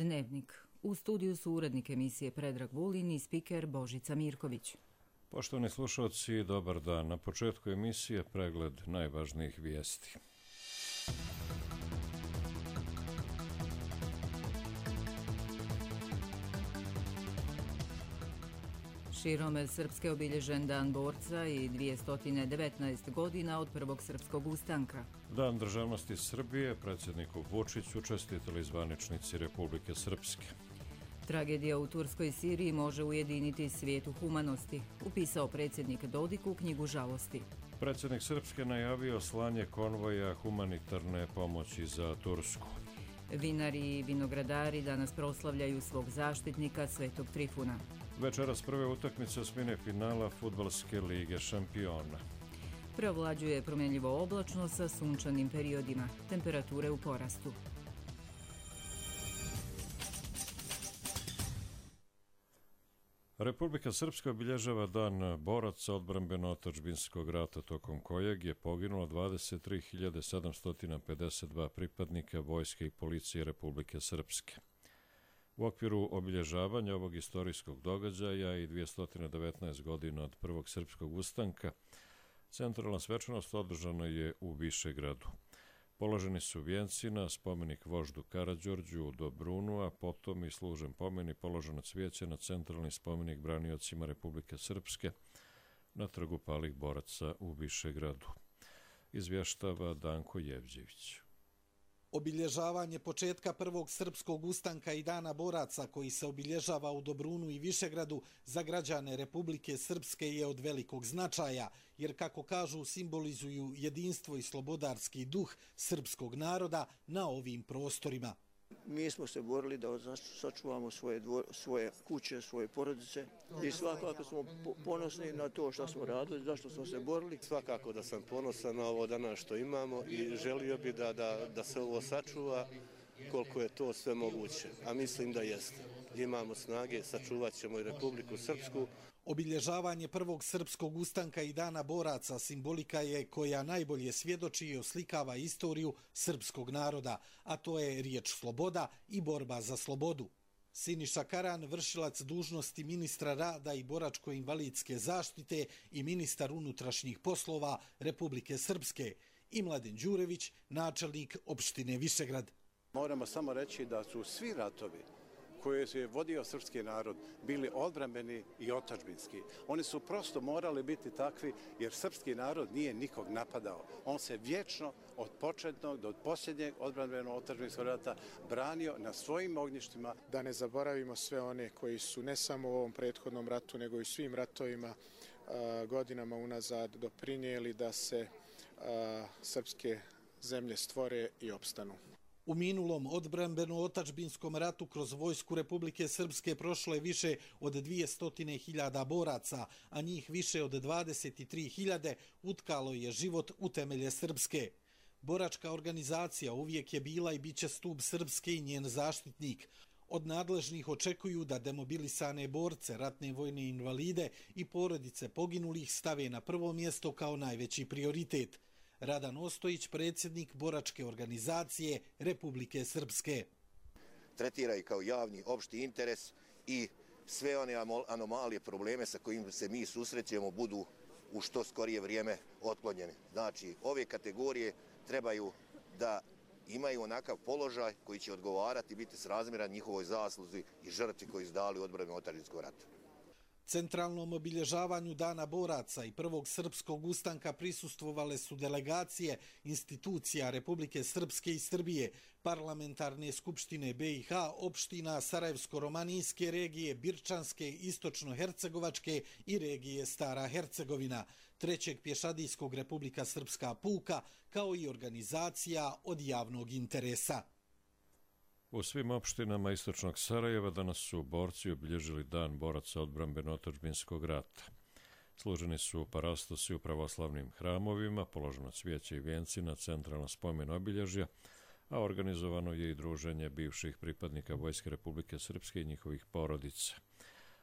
Dnevnik. U studiju su urednik emisije Predrag Vulin i spiker Božica Mirković. Poštovani slušalci, dobar dan. Na početku emisije pregled najvažnijih vijesti. Širom Srpske obilježen Dan borca i 219 godina od prvog srpskog ustanka. Dan državnosti Srbije predsjedniku Vučiću čestitali zvaničnici Republike Srpske. Tragedija u Turskoj Siriji može ujediniti svijet u humanosti, upisao predsjednik Dodik u knjigu žalosti. Predsjednik Srpske najavio slanje konvoja humanitarne pomoći za Tursku. Vinari i vinogradari danas proslavljaju svog zaštitnika Svetog Trifuna. Večeras prve utakmice osmine finala Fudbalske lige šampiona. Preovlađuje promjenljivo oblačno sa sunčanim periodima, temperature u porastu. Republika Srpska obilježava Dan boraca odbrambeno-otadžbinskog rata, tokom kojeg je poginulo 23.752 pripadnika vojske i policije Republike Srpske. U okviru obilježavanja ovog istorijskog događaja i 219 godina od prvog srpskog ustanka, centralna svečanost održana je u Višegradu. Položeni su vijenci na spomenik voždu Karađorđu u Dobrunu, a potom i služen pomen i položeno cvijeće na centralni spomenik braniocima Republike Srpske na trgu palih boraca u Višegradu. Izvještava Danko Jevđević. Obilježavanje početka prvog srpskog ustanka i Dana boraca, koji se obilježava u Dobrunu i Višegradu, za građane Republike Srpske je od velikog značaja, jer, kako kažu, simbolizuju jedinstvo i slobodarski duh srpskog naroda na ovim prostorima. Mi smo se borili da sačuvamo svoje kuće, svoje porodice i svakako smo ponosni na to što smo radili, zašto smo se borili. Svakako da sam ponosan na ovo danas što imamo i želio bi da se ovo sačuva koliko je to sve moguće, a mislim da jeste. Imamo snage, sačuvat ćemo i Republiku Srpsku. Obilježavanje prvog srpskog ustanka i Dana boraca simbolika je koja najbolje svjedoči i oslikava istoriju srpskog naroda, a to je riječ sloboda i borba za slobodu. Siniša Karan, vršilac dužnosti ministra rada i boračko-invalidske zaštite i ministar unutrašnjih poslova Republike Srpske, i Mladen Đurević, načelnik opštine Višegrad. Moramo samo reći da su svi ratovi koje je vodio srpski narod bili odbrambeni i otadžbinski. Oni su prosto morali biti takvi jer srpski narod nije nikog napadao. On se vječno od početnog do posljednjeg odbrambeno-otadžbinskog rata branio na svojim ognjištima. Da ne zaboravimo sve one koji su ne samo u ovom prethodnom ratu, nego i svim ratovima godinama unazad doprinijeli da se srpske zemlje stvore i opstanu. U minulom odbrambeno-otadžbinskom ratu kroz vojsku Republike Srpske prošlo je više od 200.000 boraca, a njih više od 23.000 utkalo je život u temelje Srpske. Boračka organizacija uvijek je bila i bit će stup Srpske i njen zaštitnik. Od nadležnih očekuju da demobilisane borce, ratne vojne invalide i porodice poginulih stave na prvo mjesto kao najveći prioritet. Radan Ostojić, predsjednik boračke organizacije Republike Srpske. Tretiraju kao javni opšti interes i sve one anomalije, probleme sa kojim se mi susrećemo budu u što skorije vrijeme otklonjene. Znači, ove kategorije trebaju da imaju onakav položaj koji će odgovarati, biti srazmjeran njihovoj zasluzi i žrtvi koji su dali u odbrambeno-otadžbinskom ratu. Centralnom obilježavanju Dana boraca i prvog srpskog ustanka prisustvovale su delegacije institucija Republike Srpske i Srbije, parlamentarne skupštine BiH, opština Sarajevsko-romanijske regije, Birčanske, Istočno-hercegovačke i regije Stara Hercegovina, trećeg pješadijskog Republika Srpska puka, kao i organizacija od javnog interesa. U svim opštinama istočnog Sarajeva danas su borci obilježili Dan boraca odbrambeno-otadžbinskog rata. Služeni su parastosi u pravoslavnim hramovima, položeno cvijeće i vijenci na centralnom spomenu obilježja, a organizovano je i druženje bivših pripadnika Vojske Republike Srpske i njihovih porodica.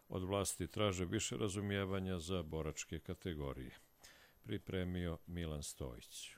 Od vlasti traže više razumijevanja za boračke kategorije. Pripremio Milan Stojić.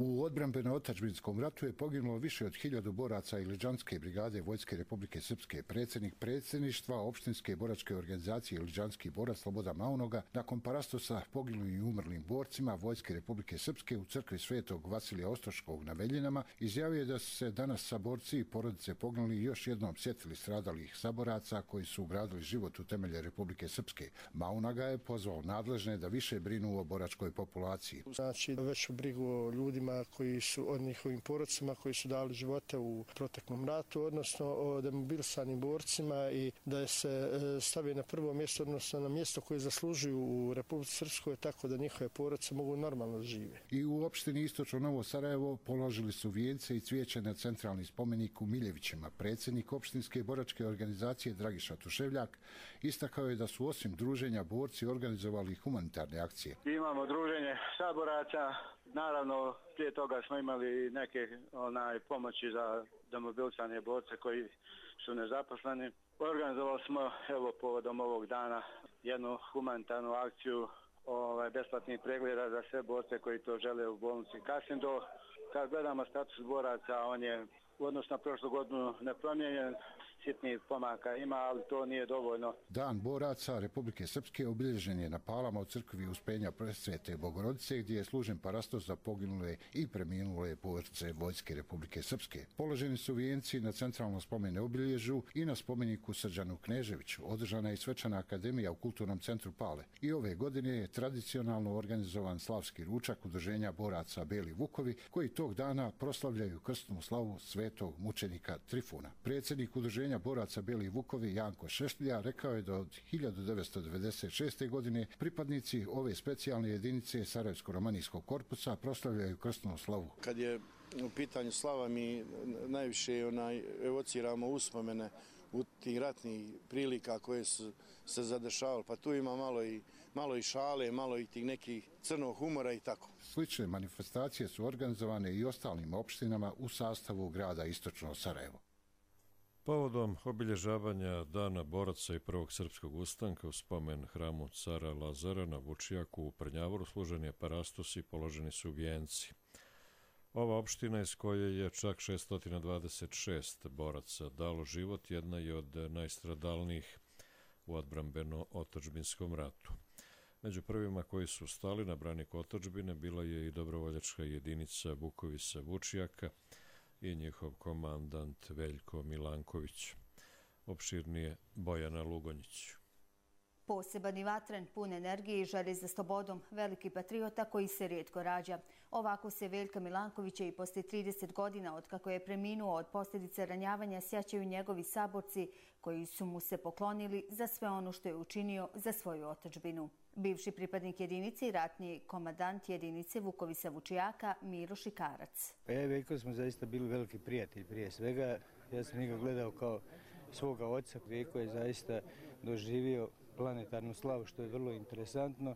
U odbrambeno-otadžbinskom ratu je poginulo više od 1000 boraca Iliđanske brigade Vojske Republike Srpske. Predsjednik predsjedništva opštinske boračke organizacije Iliđanski borac Slobodan Maunoga nakon parastosa poginulim i umrlim borcima Vojske Republike Srpske u crkvi Svetog Vasilija Ostroškog na Veljinama izjavio je da su se danas saborci i porodice poginuli još jednom sjetili stradalih saboraca koji su ugradili život u temelje Republike Srpske. Maunoga je pozvao nadležne da više brinu o boračkoj populaciji. Znači veću brigu o ljudima koji su od njihovim porodcima koji su dali živote u proteklom ratu, odnosno o demobilisanim borcima i da se stavi na prvo mjesto, odnosno na mjesto koje zaslužuju u Republici Srpskoj, tako da njihove porodice mogu normalno žive. I u opštini Istočno Novo Sarajevo položili su vijence i cvijeće na centralni spomenik u Miljevićima. Predsjednik opštinske boračke organizacije Dragiša Tuševljak istakao je da su osim druženja borci organizovali humanitarne akcije. Imamo druženje saboraca, naravno prije toga smo imali neke pomoći za demobilisane borce koji su nezaposleni. Organizovali smo povodom ovog dana jednu humanitarnu akciju besplatnih pregleda za sve borce koji to žele u bolnici Kasindo. Kad gledamo status boraca, on je u odnosu na prošlu godinu nepromijenjen. Sitnih pomaka ima, ali to nije dovoljno. Dan boraca Republike Srpske obilježen je na Palama u crkvi Uspenja Presvete Bogorodice, gdje je služen parastos za poginule i preminule borce Vojske Republike Srpske. Položeni su vijenci na centralnom spomene obilježju i na spomeniku Srđanu Kneževiću. Održana je i svečana akademija u Kulturnom centru Pale. I ove godine je tradicionalno organizovan slavski ručak udruženja boraca Beli Vukovi, koji tog dana proslavljaju krstnu slavu svetog mučenika Trifuna. Predsjednik udruženja boraca Beli Vukovi Janko Šešlja rekao je da od 1996. godine pripadnici ove specijalne jedinice Sarajevsko-romanijskog korpusa proslavljaju krstnu slavu. Kad je u pitanju slava, mi najviše evociramo uspomene u tih ratnih prilika koje su se zadešavali, pa tu ima malo i šale, malo i tih nekih crnog humora i tako. Slične manifestacije su organizovane i ostalim opštinama u sastavu grada Istočno Sarajevo. Povodom obilježavanja Dana boraca i Prvog srpskog ustanka u spomen hramu cara Lazara na Vučijaku u Prnjavoru služen je parastos i položeni su vijenci. Ova opština iz koje je čak 626 boraca dalo život jedna je od najstradalnijih u odbrambeno-otadžbinskom ratu. Među prvima koji su stali na branik otadžbine bila je i dobrovoljačka jedinica Vukovi sa Vučijaka i njihov komandant Veljko Milanković. Opširnije Bojana Lugonjić. Poseban i vatren, pun energije i želje za slobodom, veliki patriota koji se rijetko rađa. Ovako se Veljka Milankovića i poslije 30 godina od kako je preminuo od posljedice ranjavanja sjećaju njegovi saborci koji su mu se poklonili za sve ono što je učinio za svoju otadžbinu. Bivši pripadnik jedinice i ratni komandant jedinice Vukovi sa Vučijaka Miro Šikarac. Veljko smo zaista bili veliki prijatelji prije svega. Ja sam njega gledao kao svoga oca. Veljko je zaista doživio planetarnu slavu, što je vrlo interesantno.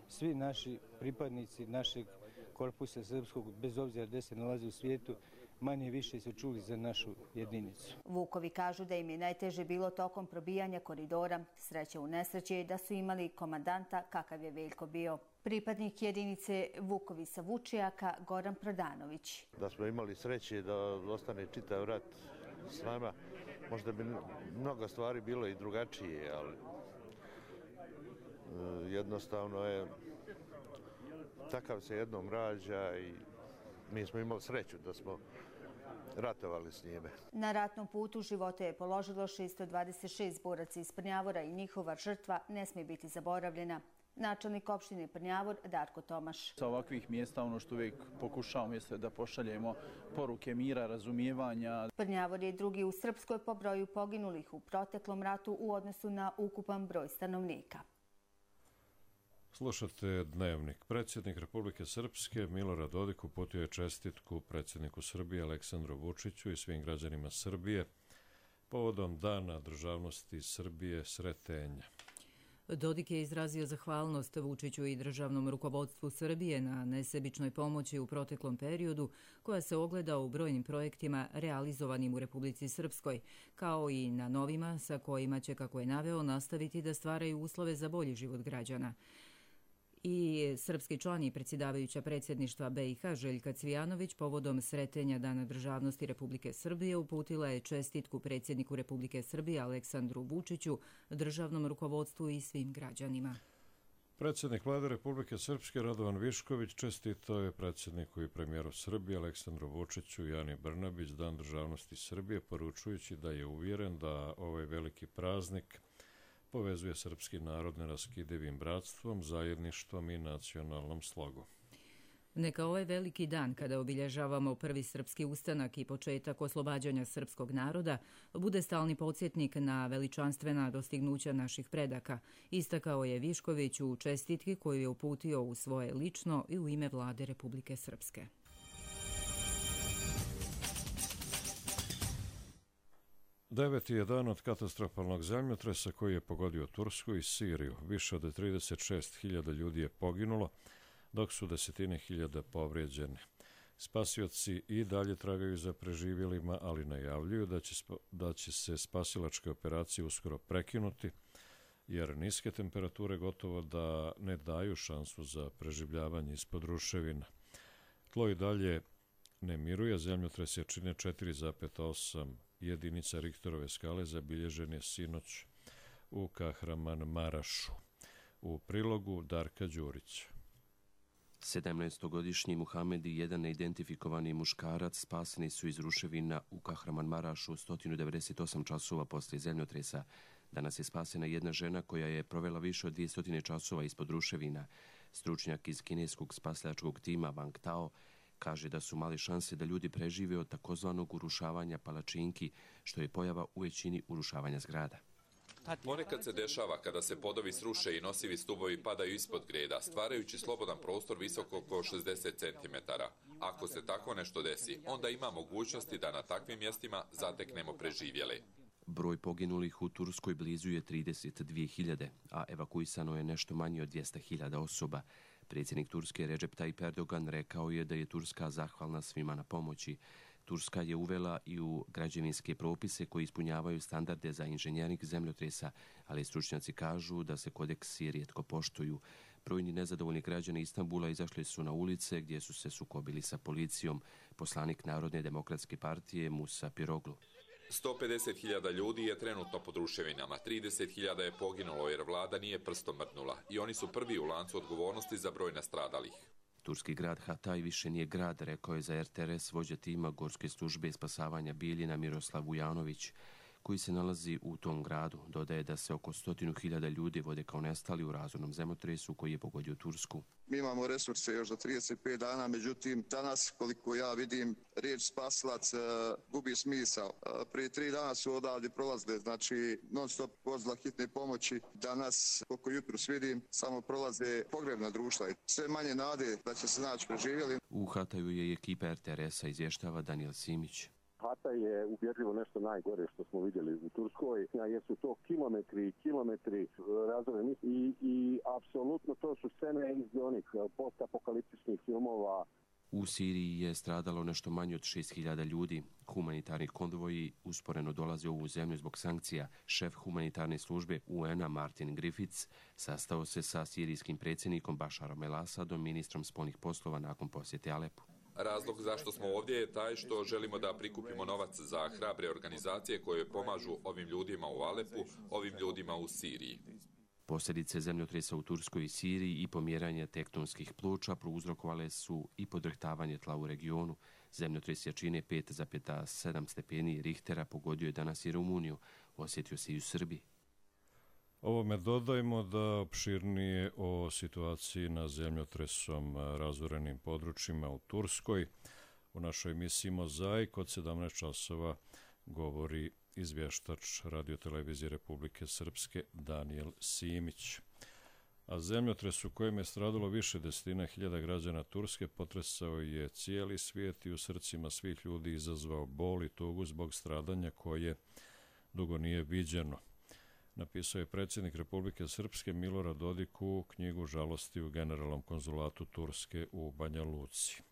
Svi naši pripadnici našeg korpusa srpskog, bez obzira gdje se nalazi u svijetu, manje više su čuli za našu jedinicu. Vukovi kažu da im je najteže bilo tokom probijanja koridora. Sreća u nesreći je da su imali komandanta kakav je Veljko bio. Pripadnik jedinice Vukovi sa Vučijaka Goran Prodanović. Da smo imali sreće da ostane čitav rat s nama, možda bi mnogo stvari bilo i drugačije, ali jednostavno je takav se jednom rađa i mi smo imali sreću da smo ratovali s njime. Na ratnom putu života je položilo 626 boraca iz Prnjavora i njihova žrtva ne smije biti zaboravljena. Načelnik opštine Prnjavor Darko Tomaš. Sa ovakvih mjesta ono što uvijek pokušavamo jeste da pošaljemo poruke mira, razumijevanja. Prnjavor je drugi u Srpskoj po broju poginulih u proteklom ratu u odnosu na ukupan broj stanovnika. Slušate Dnevnik. Predsjednik Republike Srpske Milorad Dodik uputio je čestitku predsjedniku Srbije Aleksandru Vučiću i svim građanima Srbije povodom Dana državnosti Srbije Sretenja. Dodik je izrazio zahvalnost Vučiću i državnom rukovodstvu Srbije na nesebičnoj pomoći u proteklom periodu koja se ogleda u brojnim projektima realizovanim u Republici Srpskoj, kao i na novima sa kojima će, kako je naveo, nastaviti da stvaraju uslove za bolji život građana. I srpski član i predsjedavajuća predsjedništva BiH Željka Cvijanović povodom sretenja Dana državnosti Republike Srbije uputila je čestitku predsjedniku Republike Srbije Aleksandru Vučiću, državnom rukovodstvu i svim građanima. Predsjednik vlade Republike Srpske Radovan Višković čestitao je predsjedniku i premijeru Srbije Aleksandru Vučiću i Ani Brnabić Dan državnosti Srbije, poručujući da je uvjeren da ovaj veliki praznik povezuje srpski narod neraskidivim bratstvom, zajedništvom i nacionalnom slogom. Neka ovaj veliki dan, kada obilježavamo prvi srpski ustanak i početak oslobađanja srpskog naroda, bude stalni podsjetnik na veličanstvena dostignuća naših predaka, istakao je Višković u čestitki koju je uputio u svoje lično i u ime vlade Republike Srpske. Deveti je dan od katastrofalnog zemljotresa koji je pogodio Tursku i Siriju. Više od 36.000 ljudi je poginulo, dok su desetine hiljada povrijeđeni. Spasioci i dalje tragaju za preživjelima, ali najavljuju da će se spasilačke operacije uskoro prekinuti, jer niske temperature gotovo da ne daju šansu za preživljavanje ispod ruševina. Tlo i dalje ne miruje, zemljotres je čine 4,8 jedinica Richterove skale zabilježen je sinoć u Kahramanmarašu. U prilogu Darka Đurića. 17-godišnji Muhamed i jedan neidentifikovani muškarac spaseni su iz ruševina u Kahramanmarašu 198 časova poslije zemljotresa. Danas je spasena jedna žena koja je provela više od 200 časova ispod ruševina. Stručnjak iz kineskog spasilačkog tima Wang Tao kaže da su male šanse da ljudi prežive od takozvanog urušavanja palačinki, što je pojava u većini urušavanja zgrada. Ponekad se dešava kada se podovi sruše i nosivi stubovi padaju ispod greda, stvarajući slobodan prostor visok oko 60 cm. Ako se tako nešto desi, onda ima mogućnosti da na takvim mjestima zateknemo preživjele. Broj poginulih u Turskoj blizu je 32.000, a evakuisano je nešto manje od 200.000 osoba. Predsjednik Turske Recep Tayyip Erdogan rekao je da je Turska zahvalna svima na pomoći. Turska je uvela i u građevinske propise koji ispunjavaju standarde za inženjering zemljotresa, ali stručnjaci kažu da se kodeksi rijetko poštuju. Brojni nezadovoljni građani Istanbula izašli su na ulice gdje su se sukobili sa policijom. Poslanik Narodne demokratske partije Musa Piroglu. 150.000 ljudi je trenutno pod ruševinama, 30.000 je poginulo jer vlada nije prstom mrdnula i oni su prvi u lancu odgovornosti za broj nastradalih. Turski grad Hatay više nije grad, rekao je za RTRS vođa tima Gorske službe spasavanja Bijeljina Miroslav Vujanović, koji se nalazi u tom gradu. Dodaje da se oko 100.000 ljudi vode kao nestali u razornom zemljotresu koji je pogodio Tursku. Mi imamo resurse još za 35 dana, međutim danas, koliko ja vidim, riječ spasilac gubi smisao. Prije 3 dana su odavdje prolazile, znači non-stop vozila hitne pomoći. Danas, koliko jutros vidim, samo prolaze pogrebna društva. Sve manje nade da će se naći preživjeli. U Hataju je ekipa RTRS-a, izvještava Daniel Simić. Hatay je ubjedljivo nešto najgore što smo vidjeli u Turskoj, jer su to kilometri razoreni i apsolutno to su scene iz onih postapokaliptičnih filmova. U Siriji je stradalo nešto manje od 6.000 ljudi. Humanitarni konvoji usporeno dolaze u ovu zemlju zbog sankcija. Šef humanitarne službe UN-a Martin Griffiths sastao se sa sirijskim predsjednikom Bašarom el-Asadom, ministrom spoljnih poslova nakon posjete Alepu. Razlog zašto smo ovdje je taj što želimo da prikupimo novac za hrabre organizacije koje pomažu ovim ljudima u Alepu, ovim ljudima u Siriji. Posljedice zemljotresa u Turskoj i Siriji i pomjeranje tektonskih ploča prouzrokovale su i podrhtavanje tla u regionu. Zemljotres jačine 5,7 stepeni Richtera pogodio je danas i Rumuniju, osjetio se i u Srbiji. Ovome dodajmo da opširnije o situaciji na zemljotresom razorenim područjima u Turskoj u našoj emisiji Mozaik od 17 časova govori izvještač radiotelevizije Republike Srpske Daniel Simić. A zemljotres u kojem je stradalo više desetina hiljada građana Turske potresao je cijeli svijet i u srcima svih ljudi izazvao bol i tugu zbog stradanja koje dugo nije viđeno. Napisao je predsjednik Republike Srpske Milorad Dodik u knjigu Žalosti u generalnom konzulatu Turske u Banja Luci.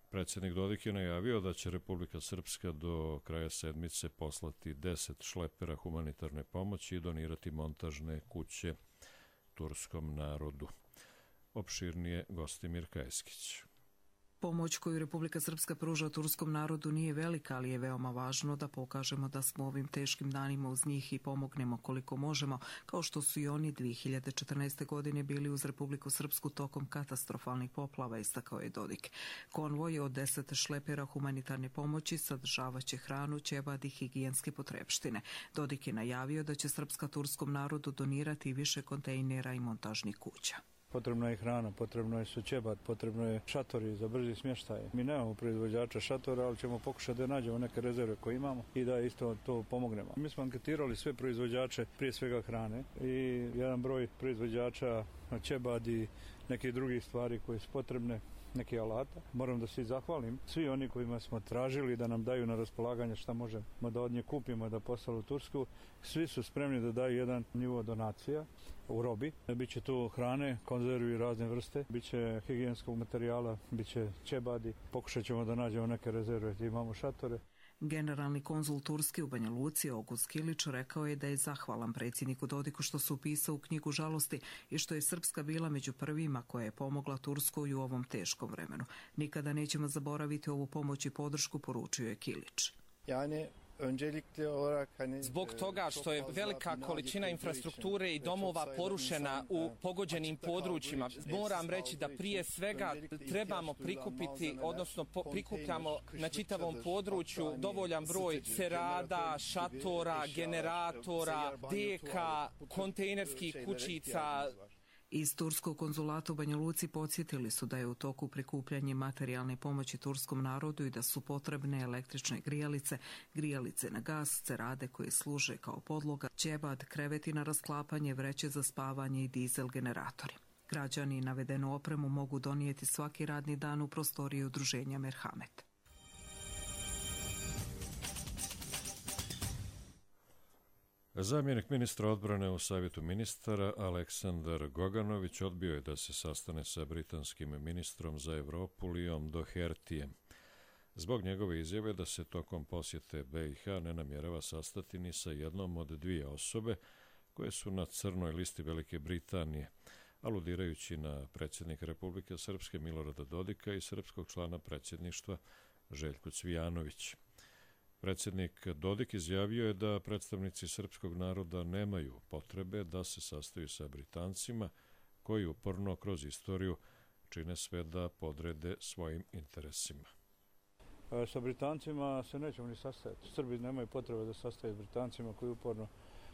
Predsjednik Dodik je najavio da će Republika Srpska do kraja sedmice poslati 10 šlepera humanitarne pomoći i donirati montažne kuće turskom narodu. opširnije Gostimir Kajeskić. Pomoć koju Republika Srpska pruža turskom narodu nije velika, ali je veoma važno da pokažemo da smo ovim teškim danima uz njih i pomognemo koliko možemo, kao što su i oni 2014. godine bili uz Republiku Srpsku tokom katastrofalnih poplava, istakao je Dodik. Konvoj od 10 šlepera humanitarne pomoći sadržavaće hranu, ćebad i higijenske potrepštine. Dodik je najavio da će Srpska turskom narodu donirati više kontejnera i montažnih kuća. Potrebna je hrana, potrebno je ćebad, potrebno je šatori za brzi smještaj. Mi nemamo proizvođača šatora, ali ćemo pokušati da nađemo neke rezerve koje imamo i da isto to pomognemo. Mi smo anketirali sve proizvođače, prije svega hrane, i jedan broj proizvođača ćebad i neke drugih stvari koje su potrebne, neki alata. Moram da se zahvalim svi oni kojima smo tražili da nam daju na raspolaganje šta možemo da od nje kupimo da poslali u Tursku. Svi su spremni da daju jedan nivo donacija u robi. Biće tu hrane, konzervi razne vrste, biće higijenskog materijala, biće ćebadi. Pokušat ćemo da nađemo neke rezerve, imamo šatore. Generalni konzul Turske u Banja Luci Oguz Kilić rekao je da je zahvalan predsjedniku Dodiku što se upisao u knjigu žalosti i što je Srpska bila među prvima koja je pomogla Turskoj u ovom teškom vremenu. Nikada nećemo zaboraviti ovu pomoć i podršku, poručio je Kilić. Zbog toga što je velika količina infrastrukture i domova porušena u pogođenim područjima, moram reći da prije svega trebamo prikupiti, odnosno prikupljamo na čitavom području dovoljan broj cerada, šatora, generatora, deka, kontejnerskih kućica. Iz Turskog konzulata u Banja Luci podsjetili su da je u toku prikupljanje materijalne pomoći turskom narodu i da su potrebne električne grijalice na gas, cerade koje služe kao podloga, ćebad, kreveti na rasklapanje, vreće za spavanje i dizel generatori. Građani navedenu opremu mogu donijeti svaki radni dan u prostoriji udruženja Merhamet. Zamjenik ministra odbrane u Savjetu ministara Aleksandar Goganović odbio je da se sastane sa britanskim ministrom za Evropu Liom Dohertyjem. Zbog njegove izjave da se tokom posjete BiH ne namjerava sastati ni sa jednom od dvije osobe koje su na crnoj listi Velike Britanije, aludirajući na predsjednika Republike Srpske Milorada Dodika i srpskog člana predsjedništva Željku Cvijanović. Predsjednik Dodik izjavio je da predstavnici srpskog naroda nemaju potrebe da se sastaju sa Britancima koji uporno kroz istoriju čine sve da podrede svojim interesima. Sa Britancima se nećemo ni sastajati. Srbi nemaju potrebe da sastaju s Britancima koji uporno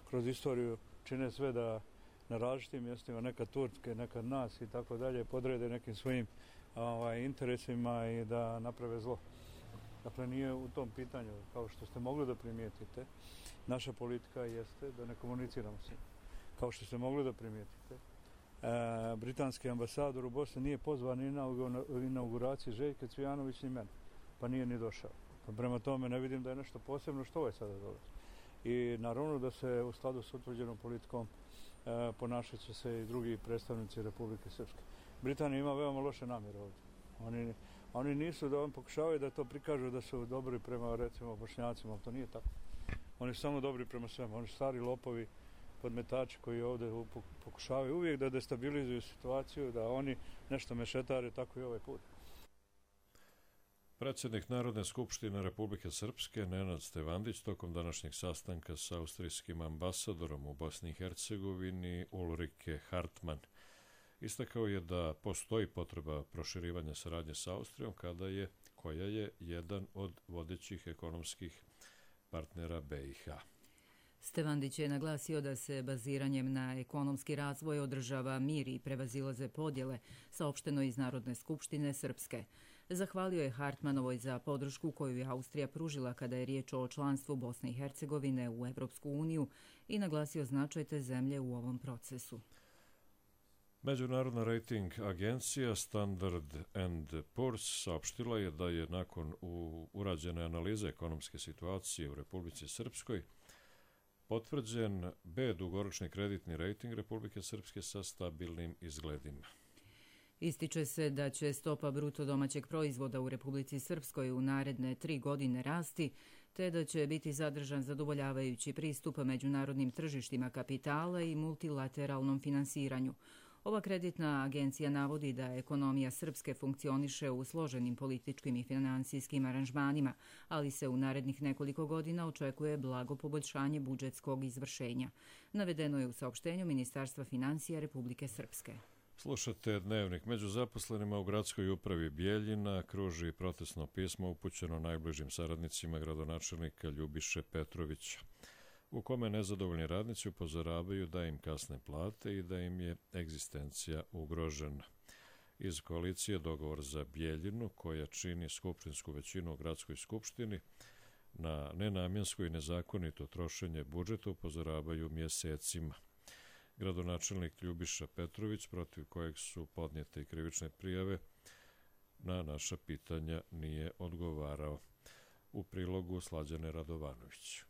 kroz istoriju čine sve da na različitim mjestima, nekad Turske, nekad nas i tako dalje, podrede nekim svojim interesima i da naprave zlo. Dakle, nije u tom pitanju, kao što ste mogli da primijetite, naša politika jeste da ne komuniciramo s njim. Kao što ste mogli da primijetite, britanski ambasador u Bosni nije pozvan ni na inauguraciji Željka Cvijanović ni mene, pa nije ni došao. Prema tome ne vidim da je nešto posebno što je sada dolazi. I naravno da se u skladu s utvrđenom politikom ponašat će se i drugi predstavnici Republike Srpske. Britanija ima veoma loše namjere ovdje. Oni nisu da pokušavaju da to prikažu da su dobri prema, recimo, Bošnjacima, ali to nije tako. Oni su samo dobri prema svema. Oni su stari lopovi, podmetači koji ovdje pokušavaju uvijek da destabilizuju situaciju, da oni nešto mešetare, tako i ovaj put. Predsjednik Narodne skupštine Republike Srpske Nenad Stevandić tokom današnjeg sastanka sa austrijskim ambasadorom u Bosni i Hercegovini Ulrike Hartmann istakao je da postoji potreba proširivanja saradnje sa Austrijom koja je jedan od vodećih ekonomskih partnera BiH. Stevandić je naglasio da se baziranjem na ekonomski razvoj održava mir i prevazilaze podjele, saopšteno iz Narodne skupštine Srpske. Zahvalio je Hartmanovoj za podršku koju je Austrija pružila kada je riječ o članstvu Bosne i Hercegovine u Evropsku uniju i naglasio značaj te zemlje u ovom procesu. Međunarodna rating agencija Standard & Poor's saopštila je da je nakon urađene analize ekonomske situacije u Republici Srpskoj potvrđen B dugoročni kreditni rating Republike Srpske sa stabilnim izgledima. Ističe se da će stopa bruto domaćeg proizvoda u Republici Srpskoj u naredne 3 godine rasti, te da će biti zadržan zadovoljavajući pristup međunarodnim tržištima kapitala i multilateralnom finansiranju. Ova kreditna agencija navodi da ekonomija Srpske funkcioniše u složenim političkim i finansijskim aranžmanima, ali se u narednih nekoliko godina očekuje blago poboljšanje budžetskog izvršenja. Navedeno je u saopštenju Ministarstva financija Republike Srpske. Slušate Dnevnik. Među zaposlenima u gradskoj upravi Bijeljina kruži protestno pismo upućeno najbližim saradnicima gradonačelnika Ljubiše Petrovića, u kome nezadovoljni radnici upozoravaju da im kasne plate i da im je egzistencija ugrožena. Iz koalicije Dogovor za Bijeljinu, koja čini skupštinsku većinu u gradskoj skupštini, na nenamjensko i nezakonito trošenje budžeta upozoravaju mjesecima. Gradonačelnik Ljubiša Petrović, protiv kojeg su podnijete i krivične prijave, na naša pitanja nije odgovarao. U prilogu Slađane Radovanović.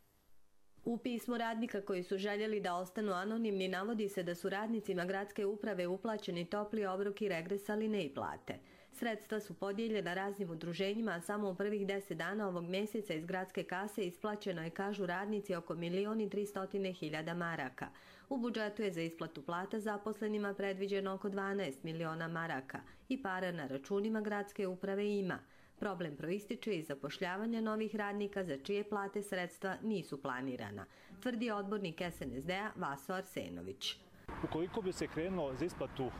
U pismu radnika koji su željeli da ostanu anonimni navodi se da su radnicima gradske uprave uplaćeni topli obrok i regres, ali ne i plate. Sredstva su podijeljena raznim udruženjima, a samo u prvih 10 dana ovog mjeseca iz gradske kase isplaćeno je, kažu radnici, oko 1.300.000 maraka. U budžetu je za isplatu plata zaposlenima predviđeno oko 12 miliona maraka i para na računima gradske uprave ima. Problem proističe iz zapošljavanja novih radnika za čije plate sredstva nisu planirana, tvrdi odbornik SNSD-a Vaso Arsenović. Ukoliko bi se krenulo za isplatu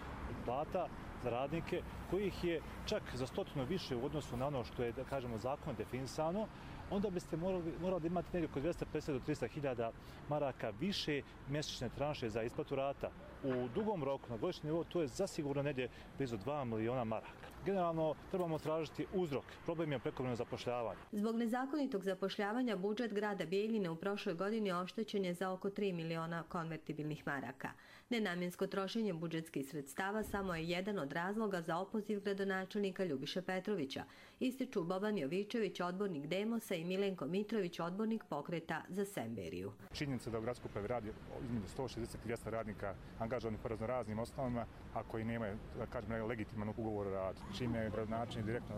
plata za radnike, kojih je čak za 100 više u odnosu na ono što je, da kažemo, zakon definisano, onda biste morali da imati negdje oko 250 do 300.000 maraka više mjesečne tranše za isplatu rata. U dugom roku, na godišnji nivou, to je zasigurno negdje blizu 2 miliona maraka. Generalno, trebamo tražiti uzrok. Problem je prekovremeno zapošljavanje. Zbog nezakonitog zapošljavanja budžet grada Bijeljine u prošloj godini oštećen je za oko 3 miliona konvertibilnih maraka. Nenamjensko trošenje budžetskih sredstava samo je jedan od razloga za opoziv gradonačelnika Ljubiše Petrovića, ističu Boban Jovičević, odbornik Demosa, i Milenko Mitrović, odbornik Pokreta za Semberiju. Činjenica da u gradskoj upravi radi između 160 i 200 radnika angažovanih po raznoraznim osnovama, a koji nemaju, da kažem, legitiman ugovor o radu, čime je gradonačelnik direktno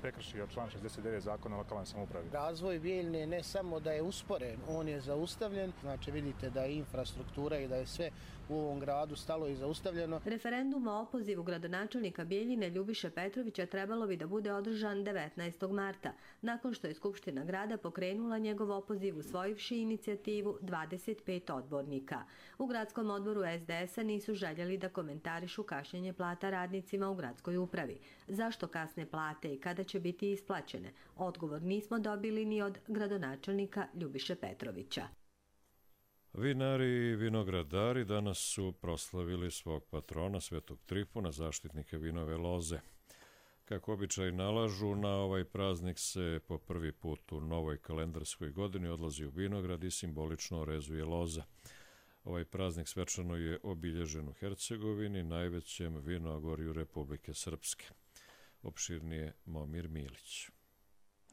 prekršio član 69 zakona o lokalnoj samoupravi. Razvoj Bijeljine ne samo da je usporen, on je zaustavljen. Znači vidite da je infrastruktura i da je sve u ovom gradu stalo i zaustavljeno. Referendum o opozivu gradonačelnika Bijeljine Ljubiše Petrovića trebalo bi da bude održan 19. marta, nakon što je Skupština grada pokrenula njegov opoziv usvojivši inicijativu 25 odbornika. U gradskom odboru SDS-a nisu željeli da komentarišu kašnjenje plata radnicima u gradskoj upravi. Zašto kasne plate i kada će biti isplaćene? Odgovor nismo dobili ni od gradonačelnika Ljubiše Petrovića. Vinari i vinogradari danas su proslavili svog patrona Svetog Trifuna, zaštitnika vinove loze. Kako običaj nalažu, na ovaj praznik se po prvi put u novoj kalendarskoj godini odlazi u vinograd i simbolično rezuje loza. Ovaj praznik svečano je obilježen u Hercegovini, najvećem vinogorju Republike Srpske. Opširnije Momir Milić.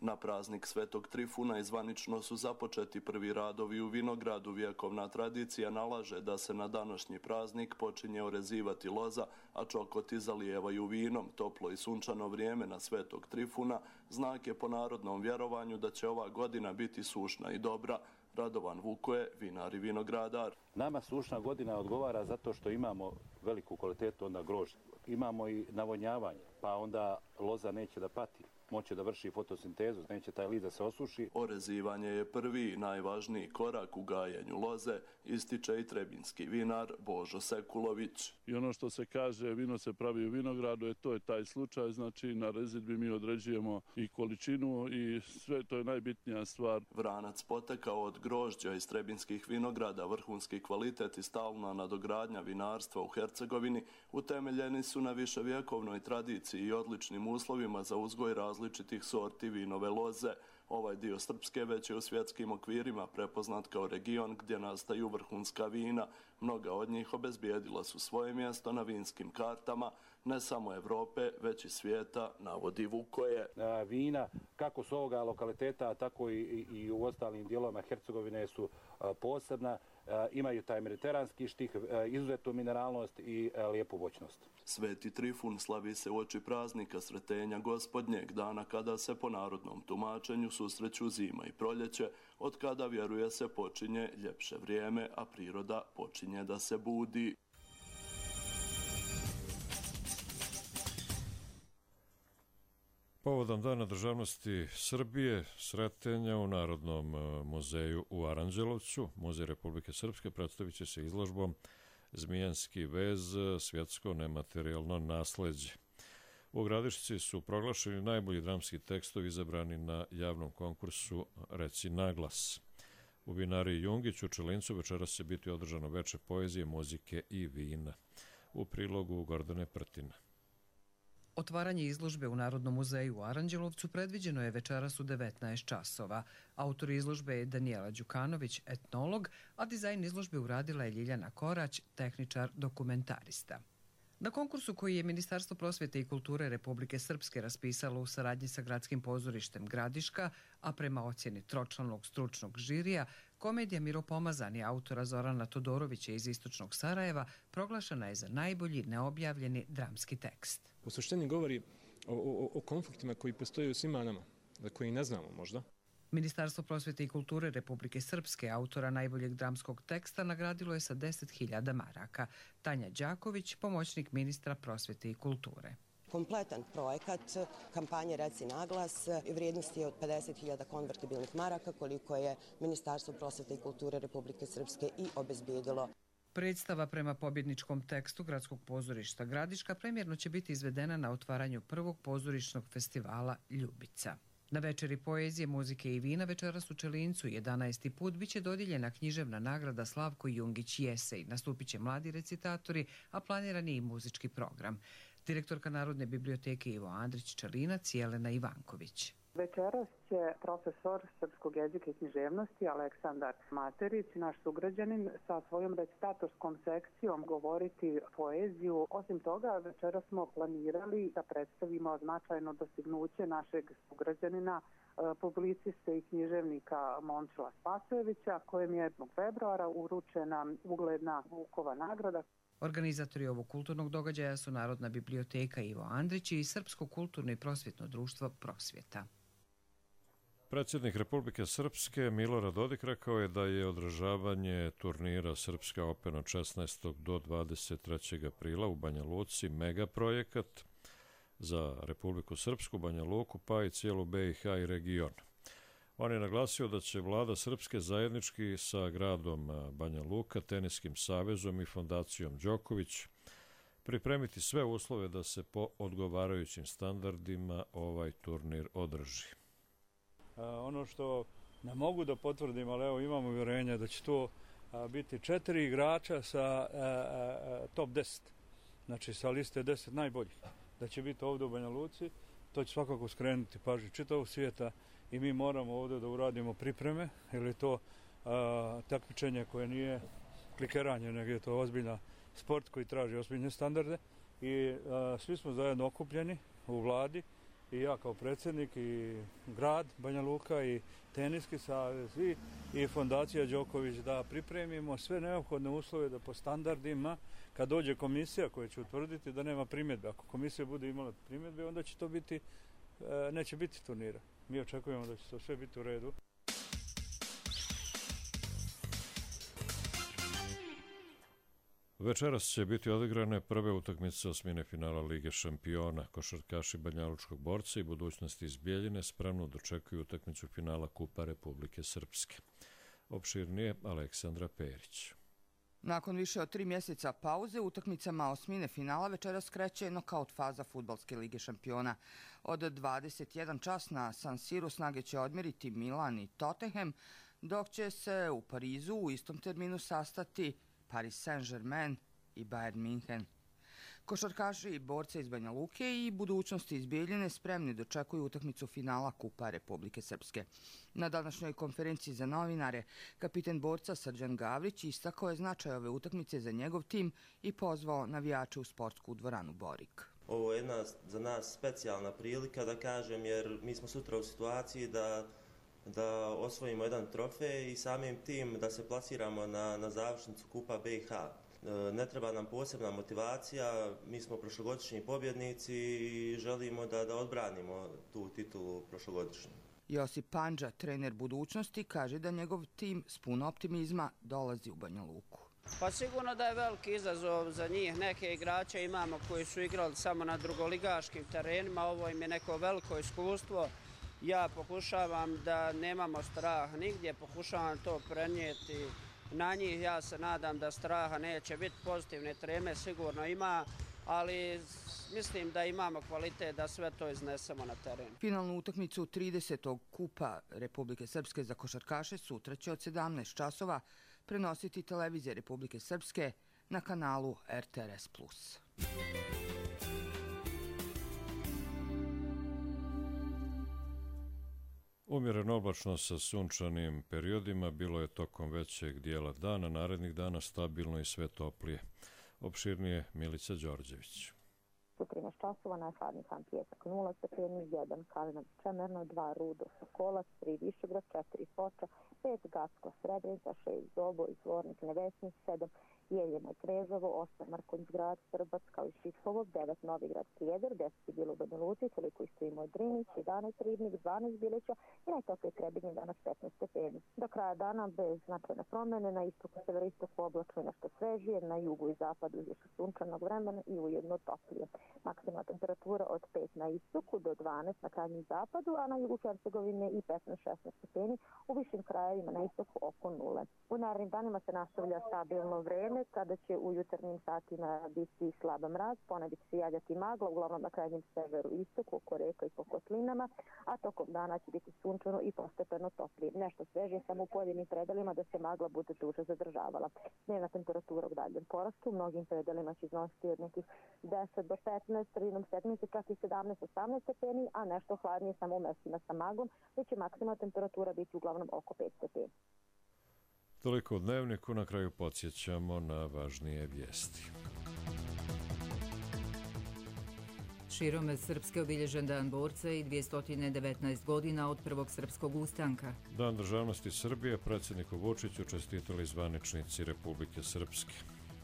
Na praznik Svetog Trifuna zvanično su započeti prvi radovi u vinogradu. Vjekovna tradicija nalaže da se na današnji praznik počinje orezivati loza, a čokoti zalijevaju vinom. Toplo i sunčano vrijeme na Svetog Trifuna znak je po narodnom vjerovanju da će ova godina biti sušna i dobra. Radovan Vukoje, vinar i vinogradar. Nama sušna godina odgovara zato što imamo veliku kvalitetu onda grožđa. Imamo i navodnjavanje, pa onda loza neće da pati. Moće da vrši fotosintezu, neće taj list da se osuši. Orezivanje je prvi i najvažniji korak u gajenju loze, ističe i trebinski vinar Božo Sekulović. I ono što se kaže, vino se pravi u vinogradu, to je taj slučaj, znači na rezidbi mi određujemo i količinu i sve, to je najbitnija stvar. Vranac potekao od grožđa iz trebinskih vinograda, vrhunski kvalitet i stalna nadogradnja vinarstva u Hercegovini utemeljeni su na viševjekovnoj tradiciji i odličnim uslovima za uzgoj različitih sorti vinove loze. Ovaj dio Srpske već je u svjetskim okvirima prepoznat kao region gdje nastaju vrhunska vina. Mnoga od njih obezbijedila su svoje mjesto na vinskim kartama, ne samo Evrope, već i svijeta, navodi Vukoje. Vina, kako s ovoga lokaliteta, tako i u ostalim dijelovima Hercegovine su posebna. Imaju taj mediteranski štih, izuzetnu mineralnost i lijepu voćnost. Sveti Trifun slavi se uoči praznika Sretenja Gospodnjeg, dana kada se po narodnom tumačenju susreću zima i proljeće, od kada, vjeruje se, počinje ljepše vrijeme, a priroda počinje da se budi. Povodom Dana državnosti Srbije, Sretenja u Narodnom muzeju u Aranđelovcu, Muzej Republike Srpske predstavit će se izložbom Zmijanski vez, svjetsko nematerijalno nasleđe. U Gradišci su proglašeni najbolji dramski tekstovi izabrani na javnom konkursu Reci naglas. U vinariji Jungić u Čelincu večeras će biti održano veče poezije, muzike i vina. U prilogu Gordane Prtina. Otvaranje izložbe u Narodnom muzeju u Aranđelovcu predviđeno je večeras u 19 časova. Autor izložbe je Danijela Đukanović, etnolog, a dizajn izložbe uradila je Ljiljana Korać, tehničar dokumentarista. Na konkursu koji je Ministarstvo prosvjete i kulture Republike Srpske raspisalo u saradnji sa Gradskim pozorištem Gradiška, a prema ocjeni tročlanog stručnog žirija, komedija Miropomazani autora Zorana Todorovića iz Istočnog Sarajeva proglašena je za najbolji neobjavljeni dramski tekst. U suštini govori o konfliktima koji postoje u svima nama, za koji ne znamo možda. Ministarstvo prosvjete i kulture Republike Srpske autora najboljeg dramskog teksta nagradilo je sa 10.000 maraka. Tanja Đaković, pomoćnik ministra prosvjete i kulture. Kompletan projekat kampanje Reci naglas vrijednosti je od 50.000 konvertibilnih maraka koliko je Ministarstvo prosvjete i kulture Republike Srpske i obezbijedilo. Predstava prema pobjedničkom tekstu Gradskog pozorišta Gradiška premjerno će biti izvedena na otvaranju prvog pozorišnog festivala Ljubica. Na večeri poezije, muzike i vina večeras u Čelincu 11. put biće dodijeljena književna nagrada Slavko Jungić Jesej. Nastupit će mladi recitatori, a planiran je i muzički program. Direktorka Narodne biblioteke Ivo Andrić Čelinac, Jelena Ivanković. Večeras će profesor srpskog jezika i književnosti Aleksandar Materić, naš sugrađanin, sa svojom recitatorskom sekcijom govoriti poeziju. Osim toga, večeras smo planirali da predstavimo značajno dostignuće našeg sugrađanina, publiciste i književnika Momčila Spasojevića, kojem je 1. februara uručena ugledna Vukova nagrada. Organizatori ovog kulturnog događaja su Narodna biblioteka Ivo Andrić i Srpsko kulturno i prosvjetno društvo Prosvjeta. Predsjednik Republike Srpske Milorad Dodik rekao je da je održavanje turnira Srpska Open od 16. do 23. aprila u Banja Luci megaprojekat za Republiku Srpsku, Banja Luku, pa i cijelu BiH i region. On je naglasio da će vlada Srpske zajednički sa gradom Banja Luka, Teniskim savezom i fondacijom Đoković pripremiti sve uslove da se po odgovarajućim standardima ovaj turnir održi. Ono što ne mogu da potvrdim, ali evo imamo uvjerenje da će to biti 4 igrača sa top 10, znači sa liste 10 najboljih, da će biti ovdje u Banja Luci. To će svakako skrenuti pažnju čitavog svijeta i mi moramo ovdje da uradimo pripreme, jer je to takmičenje koje nije klikeranje, nego je to ozbiljna sport koji traži ozbiljne standarde i svi smo zajedno okupljeni u vladi, i ja kao predsjednik i grad Banja Luka i Teniski savez i fondacija Đoković da pripremimo sve neophodne uslove da po standardima, kad dođe komisija koja će utvrditi da nema primjedbe. Ako komisija bude imala primjedbe, onda će to biti, neće biti turnira. Mi očekujemo da će to sve biti u redu. Večeras će biti odigrane prve utakmice osmine finala Lige šampiona. Košarkaši Banjalučkog borca i budućnosti iz Bijeljine spremno dočekuju utakmicu finala Kupa Republike Srpske. Opširnije Aleksandra Perić. Nakon više od 3 mjeseca pauze, utakmicama osmine finala večeras kreće nokaut faza Fudbalske lige šampiona. Od 21 čas na San Siru snage će odmjeriti Milan i Tottenham, dok će se u Parizu u istom terminu sastati Paris Saint-Germain i Bayern München. Košarkaši i borce iz Banja Luke i budućnosti iz Bijeljine spremni dočekuju utakmicu finala Kupa Republike Srpske. Na današnjoj konferenciji za novinare kapiten borca Srđan Gavrić istakao je značaj ove utakmice za njegov tim i pozvao navijače u sportsku dvoranu Borik. Ovo je jedna za nas specijalna prilika, da kažem, jer mi smo sutra u situaciji da osvojimo jedan trofej i samim tim da se plasiramo na završnicu Kupa BiH. Ne treba nam posebna motivacija, mi smo prošlogodišnji pobjednici i želimo da odbranimo tu titulu prošlogodišnju. Josip Pandža, trener budućnosti, kaže da njegov tim s puno optimizma dolazi u Banja Luku. Pa sigurno da je veliki izazov za njih. Neke igrače imamo koji su igrali samo na drugoligaškim terenima, ovo im je neko veliko iskustvo. Ja pokušavam da nemamo straha nigdje, pokušavam to prenijeti na njih. Ja se nadam da straha neće biti, pozitivne treme sigurno ima, ali mislim da imamo kvalitet da sve to iznesemo na teren. Finalnu utakmicu 30. kupa Republike Srpske za košarkaše sutra će od 17 časova prenositi televizija Republike Srpske na kanalu RTRS+. Umjereno oblačno sa sunčanim periodima bilo je tokom većeg dijela dana, narednih dana stabilno i sve toplije. Opširnije Milica Đorđević. U 13 časova najhladniji San Pijesak 0 stepeni, 1 Kalinović Čemerno, 2 Rudo Sokolac, 3 Višegrad, 4 Foča, 5 Gacko Srebrenica, 6 Doboj, Zvornik Nevesnik, 7 Jeljeno Krežovo, 8 Markonj Grad, Srbac kao i Šitkovo, 9 Novigrad Prijedor, 10 bilo u Banja Luci, toliko isto i moj Drinić, 11 Ribnik, 12 Bilića i najtoplije Trebinje danas 15 stepeni. Do kraja dana bez značajne promjene, na istoku severistoku oblačno i nešto svežije, na jugu i zapadu više sunčanog vremena i ujedno toplije. Maksimalna temperatura od 5 na istoku do 12 na krajnjem zapadu, a na jugu Hercegovine i 15-16 stepeni, u višim krajevima na istoku oko 0. U narednim danima se nastavlja stabilno vreme, kada će u jutarnjim satima biti slaba mraz, ponegdje će se javljati magla, uglavnom na krajnjem severu istoku, oko reka i po kotlinama, a tokom dana će biti sunčano i postepeno toplije. Nešto svežije samo u pojedinim predelima da se magla bude duže zadržavala. Dnevna temperatura u daljem porastu, u mnogim predelima će iznositi od nekih 10 do 15, sredinom sedmice čak i 17-18 stepeni, a nešto hladnije samo u mestima sa maglom, gdje će maksimalna temperatura biti uglavnom oko 5 stepeni. Toliko u Dnevniku, na kraju podsjećamo na važnije vijesti. Širom Srpske obilježen dan borca i 219 godina od prvog srpskog ustanka. Dan državnosti Srbije predsjedniku Vučiću čestitali zvaničnici Republike Srpske.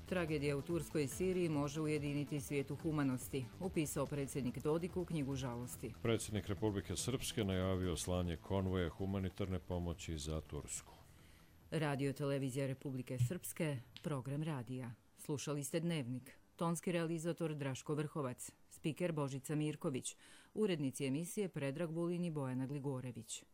Tragedija u Turskoj i Siriji može ujediniti svijetu humanosti, upisao predsjednik Dodik u knjigu žalosti. Predsjednik Republike Srpske najavio slanje konvoja humanitarne pomoći za Tursku. Radio televizija Republike Srpske, program radija. Slušali ste Dnevnik. Tonski realizator Draško Vrhovac, spiker Božica Mirković, urednici emisije Predrag Bulin i Bojana Gligorević.